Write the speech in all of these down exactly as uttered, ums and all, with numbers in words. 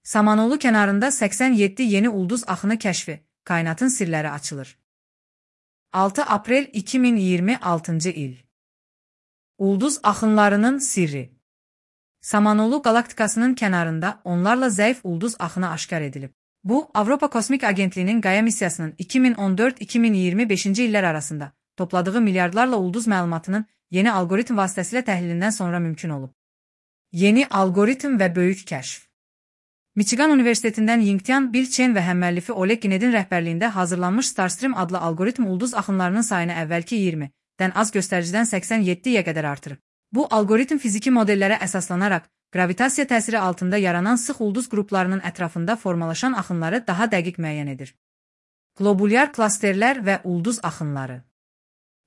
Samanoğlu kənarında səksən yeddi yeni ulduz axını kəşfi, kainatın sirləri açılır. altı aprel iki min iyirmi altıncı il. Ulduz axınlarının sirri. Samanoğlu qalaktikasının kənarında onlarla zəif ulduz axını aşkar edilib. Bu, Avropa Kosmik Agentliyinin Qaya missiyasının iki min on dörd iki min iyirmi beşinci illər arasında topladığı milyardlarla ulduz məlumatının yeni algoritm vasitəsilə təhlilindən sonra mümkün olub. Yeni algoritm və böyük kəşf. Michigan Universitetindən Yingtian, Bill Chen və həmməllifi Oleg Gnedin rəhbərliyində hazırlanmış Starstream adlı algoritm ulduz axınlarının sayını əvvəlki iyirmidən az göstəricidən səksən yeddiyə qədər artırıb. Bu, algoritm fiziki modellərə əsaslanaraq, gravitasiya təsiri altında yaranan sıx ulduz qruplarının ətrafında formalaşan axınları daha dəqiq müəyyən edir. Globulyar klasterlər və ulduz axınları.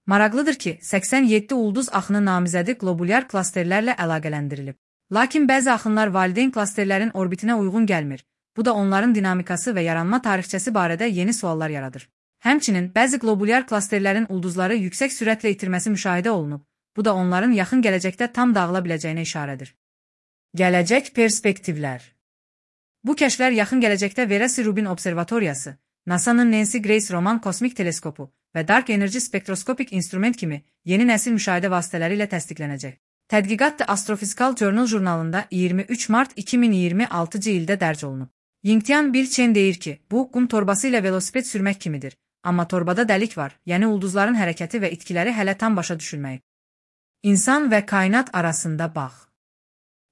Maraqlıdır ki, səksən yeddi ulduz axını namizədi globulyar klasterlərlə əlaqələndirilib. Lakin bəzi axınlar valideyn klasterlərin orbitinə uyğun gəlmir. Bu da onların dinamikası və yaranma tarixçəsi barədə yeni suallar yaradır. Həmçinin, bəzi globulyar klasterlərin ulduzları yüksək sürətlə itirməsi müşahidə olunub. Bu da onların yaxın gələcəkdə tam dağıla biləcəyinə işarədir. Gələcək perspektivlər. Bu kəşflər yaxın gələcəkdə Vera-C Rubin Observatoriyası, NASA'nın Nancy Grace Roman Kosmik Teleskopu və Dark Energy Spektroskopik İnstrument kimi yeni nəsil müşahidə vasitələri ilə təsdiqlənəcək. Tədqiqat The Astrophysical Journal jurnalında iyirmi üç mart iki min iyirmi altıncı ildə dərc olunub. Yingtian, Bill Chen deyir ki, bu, qum torbası ilə velosiped sürmək kimidir. Amma torbada dəlik var, yəni ulduzların hərəkəti və itkiləri hələ tam başa düşülməyib. İnsan və kainat arasında bağ.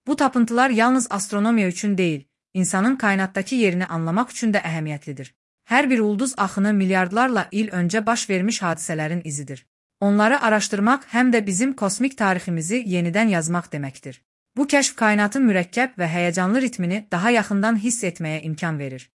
Bu tapıntılar yalnız astronomiya üçün deyil, insanın kainatdakı yerini anlamaq üçün də əhəmiyyətlidir. Hər bir ulduz axını milyardlarla il öncə baş vermiş hadisələrin izidir. Onları araşdırmaq həm də bizim kosmik tariximizi yenidən yazmaq deməkdir. Bu kəşf kainatın mürəkkəb və həyəcanlı ritmini daha yaxından hiss etməyə imkan verir.